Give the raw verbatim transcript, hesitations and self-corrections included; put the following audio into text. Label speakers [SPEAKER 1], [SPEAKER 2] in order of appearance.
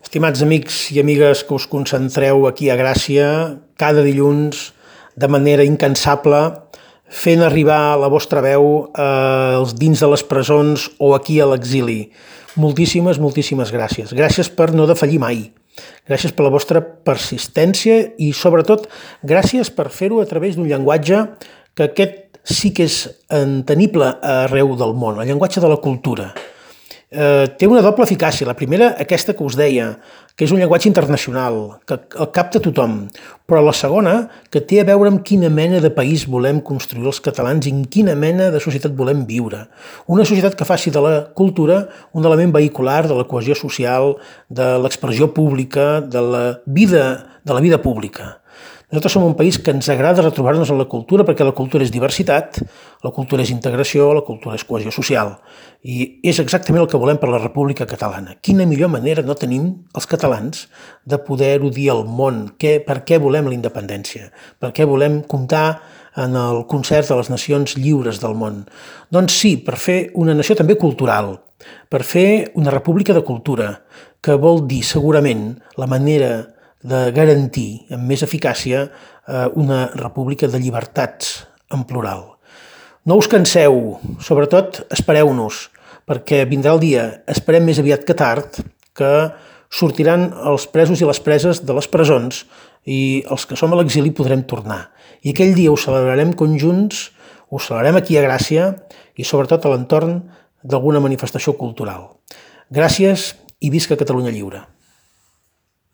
[SPEAKER 1] Estimats amics i amigues que us concentreu aquí a Gràcia, cada dilluns, de manera incansable, fent arribar la vostra veu eh, dins de les presons o aquí a l'exili. Moltíssimes, moltíssimes gràcies. Gràcies per no defallir mai. Gràcies per la vostra persistència i, sobretot, gràcies per fer-ho a través d'un llenguatge que aquest sí que és entenible arreu del món, el llenguatge de la cultura. Eh, té una doble eficàcia. La primera, aquesta que us deia, que és un llenguatge internacional, que el capta tothom, però la segona, que té a veure amb quina mena de país volem construir els catalans i en quina mena de societat volem viure. Una societat que faci de la cultura un element vehicular de la cohesió social, de l'expressió pública, de la vida, de la vida pública. Nosaltres som un país que ens agrada retrobar-nos en la cultura perquè la cultura és diversitat, la cultura és integració, la cultura és cohesió social. I és exactament el que volem per la República Catalana. Quina millor manera no tenim els catalans de poder-ho dir al món? Què, per què volem la independència? Per què volem comptar en el concert de les nacions lliures del món? Doncs sí, per fer una nació també cultural, per fer una república de cultura, que vol dir segurament la manera de garantir amb més eficàcia una república de llibertats en plural. No us canseu, sobretot espereu-nos, perquè vindrà el dia, esperem més aviat que tard, que sortiran els presos i les preses de les presons i els que som a l'exili podrem tornar. I aquell dia ho celebrarem conjunts, ho celebrarem aquí a Gràcia i sobretot a l'entorn d'alguna manifestació cultural. Gràcies i visca Catalunya lliure.